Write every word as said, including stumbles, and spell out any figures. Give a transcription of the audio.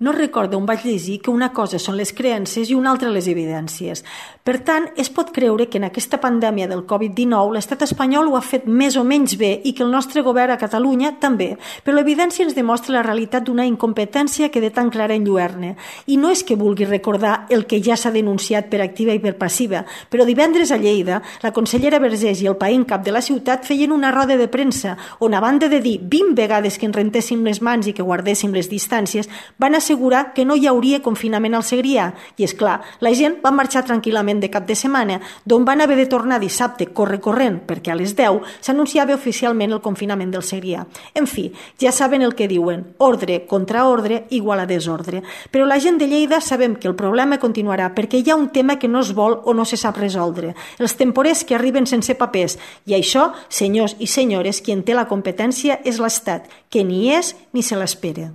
No recordo on vaig llegir que una cosa són les creences i una altra les evidències. Per tant, es pot creure que en aquesta pandèmia del covid dinou l'estat espanyol ho ha fet més o menys bé i que el nostre govern a Catalunya també, però l'evidència ens demostra la realitat d'una incompetència que de tan clara enlluerne. I no és que vulgui recordar el que ja s'ha denunciat per activa i per passiva, però divendres a Lleida, la consellera Vergés i el païen cap de la ciutat feien una roda de premsa on, a banda de dir vint vegades que ens rentéssim les mans i que guardéssim les distàncies, van assegurar que no hi hauria confinament al Segrià. I, és clar, la gent va marxar tranquil·lament de cap de setmana, d'on van haver de tornar dissabte corre-corrent, perquè a les deu s'anunciava oficialment el confinament del Segrià. En fi, ja saben el que diuen, ordre contra ordre igual a desordre. Però la gent de Lleida sabem que el problema continuarà perquè hi ha un tema que no es vol o no se sap resoldre, els temporers que arriben sense papers, i això, senyors i senyores, qui en té la competència és l'Estat, que ni és ni se l'espera.